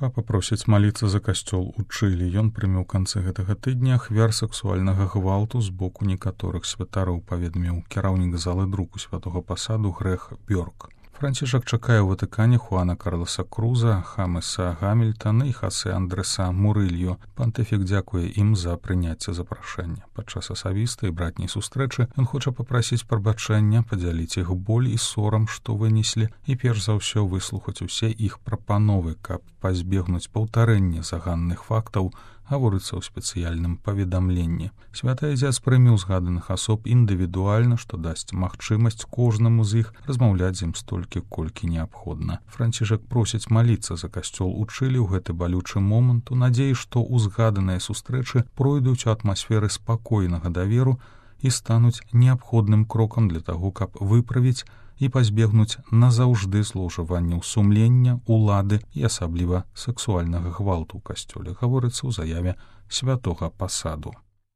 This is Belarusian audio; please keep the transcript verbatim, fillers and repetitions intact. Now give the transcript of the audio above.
Папа просіць маліцца за касцёл у Чылі. Ён прыме ў канцы гэтага тыдня ахвяр сексуальнага гвалту з боку некаторых святароў, паведаміў кіраўнік залы друку святога пасаду Грэх Бёрк. Францішак чакае ў Ватыкане Хуана Карлоса Круза, Хамеса Гамільтана і Хасе Андреса Мурылью. Пантыфік дзякуе ім за прыняцце запрашэння. Падчас асабістай братняй сустрэчы ён хоча папрасіць прабачэння, падзяліць іх боль і сорам, што вынеслі, і перш за ўсё выслухаць усе іх прапановы, каб пазбегнуць паўтарэння заганных фактаў, гаворыцца ў спецыяльным паведамленні. Святы Адзяц прыме ўзгаданых асоб індывідуальна, што дасць магчымасць кожнаму з іх размаўляць з ім столькі, колькі неабходна. Францішак просіць маліцца за касцёл у Чылі ў гэты балючы момант, у надзеі, што ўзгаданыя сустрэчы пройдуць у атмасферы спакойнага даверу і стануць неабходным крокам для таго, каб выправіць і пазбегнуць назаўжды злоўжыванняў сумлення, улады і асабліва сексуальнага гвалту ў касцёле, гаворыцца ў заяве святога пасаду.